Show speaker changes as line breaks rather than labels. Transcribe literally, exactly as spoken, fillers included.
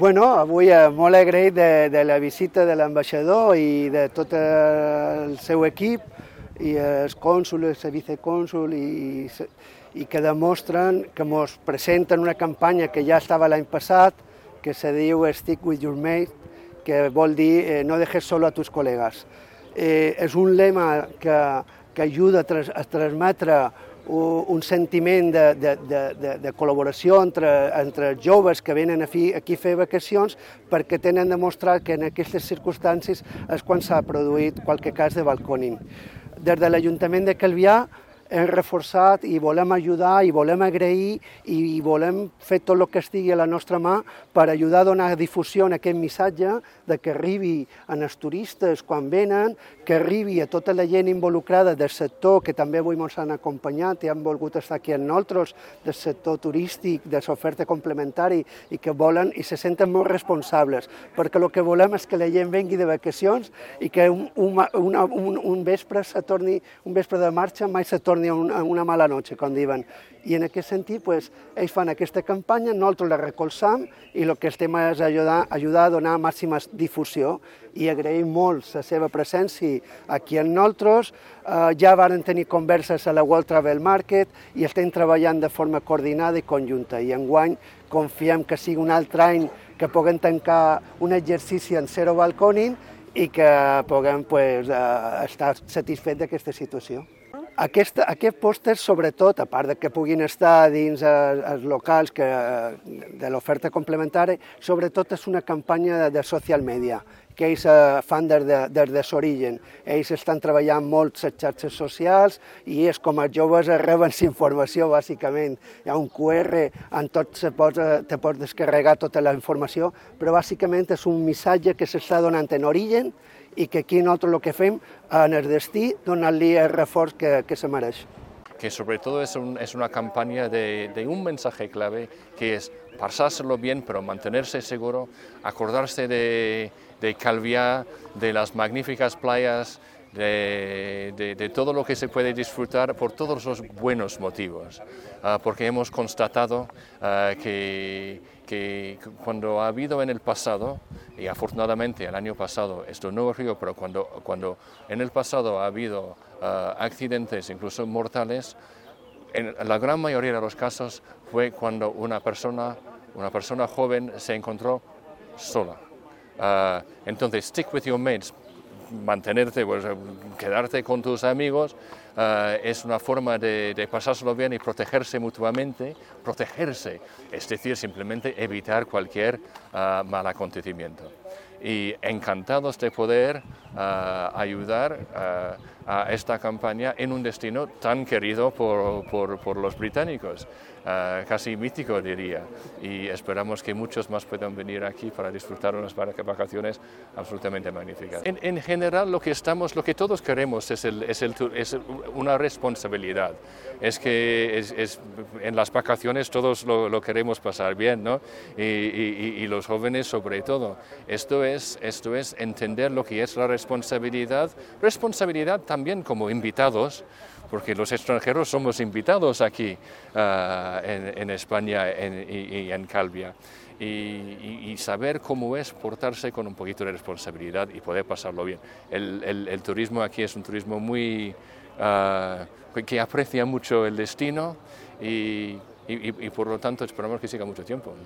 Bueno, avui eh, molt agraït de, de la visita de l'ambaixador i de tot el seu equip, i els cònsuls, el vicecònsul, i, i que demostren, que ens presenten una campanya que ja estava l'any passat, que se diu Stick with your mate, que vol dir eh, no dejes solo a tus col·legues. Eh, és un lema que, que ajuda a, tras, a transmetre un sentiment de, de, de, de col·laboració entre, entre els joves que venen aquí, aquí a fer vacacions, perquè tenen demostrat que en aquestes circumstàncies és quan s'ha produït qualque cas de balcòning. Des de l'Ajuntament de Calvià hem reforçat i volem ajudar i volem agrair i volem fer tot el que estigui a la nostra mà per ajudar a donar difusió en aquest missatge de que arribi als turistes quan venen, que arribi a tota la gent involucrada del sector, que també avui ens han acompanyat i han volgut estar aquí amb nosaltres, del sector turístic, de l'oferta complementari, i que volen i se senten molt responsables, perquè el que volem és que la gent vengui de vacacions i que un, un, una, un, un vespre se torni, un vespre de marxa mai se torni a una, a una mala noche, com diuen. I en aquest sentit, pues, ells fan aquesta campanya, nosaltres la recolzam i el que estem és ajudar, ajudar a donar màxima difusió, i agraïm molt la seva presència aquí amb nosaltres. Eh, ja varen tenir converses a la World Travel Market i estem treballant de forma coordinada i conjunta, i enguany confiem que sigui un altre any que puguem tancar un exercici en zero balcòning i que puguem pues, eh, estar satisfets d'aquesta situació. Aquest, aquest pòster, sobretot, a part de que puguin estar dins els, els locals que, de l'oferta complementària, sobretot és una campanya de, de social media, que ells eh, fan des de, des de l'origen. Ells estan treballant molt les xarxes socials i és com els joves reben informació, bàsicament. Hi ha un cu erre, en tot se pot, te pots descarregar tota la informació, però bàsicament és un missatge que s'està donant en origen i que aquí nosaltres el que fem en el destí, donar-li el reforç que, que se mereix.
Que sobre todo es, un, es una campaña de, de un mensaje clave, que es pasárselo bien, pero mantenerse seguro, acordarse de, de Calvià, de las magníficas playas, de, de, de todo lo que se puede disfrutar por todos los buenos motivos, uh, porque hemos constatado uh, que, que cuando ha habido en el pasado, y afortunadamente el año pasado esto no ocurrió, pero cuando, cuando en el pasado ha habido uh, accidentes incluso mortales, en la gran mayoría de los casos fue cuando una persona, una persona joven se encontró sola. Uh, entonces, stick with your mates, mantenerte, pues, quedarte con tus amigos, uh, es una forma de, de pasárselo bien y protegerse mutuamente, protegerse, es decir, simplemente evitar cualquier uh, mal acontecimiento. Y encantados de poder uh, ayudar uh, a esta campaña en un destino tan querido por, por, por los británicos, uh, casi mítico diría, y esperamos que muchos más puedan venir aquí para disfrutar unas vacaciones absolutamente magníficas. En, en general lo que estamos, lo que todos queremos es, el, es, el, es una responsabilidad, es que es, es, en las vacaciones todos lo, lo queremos pasar bien, ¿no? Y, y, y los jóvenes sobre todo. Esto es, esto es entender lo que es la responsabilidad, responsabilidad también como invitados, porque los extranjeros somos invitados aquí uh, en, en España en, y, y en Calvià, y, y, y saber cómo es portarse con un poquito de responsabilidad y poder pasarlo bien. El, el, el turismo aquí es un turismo muy uh, que aprecia mucho el destino y, y, y por lo tanto esperamos que siga mucho tiempo.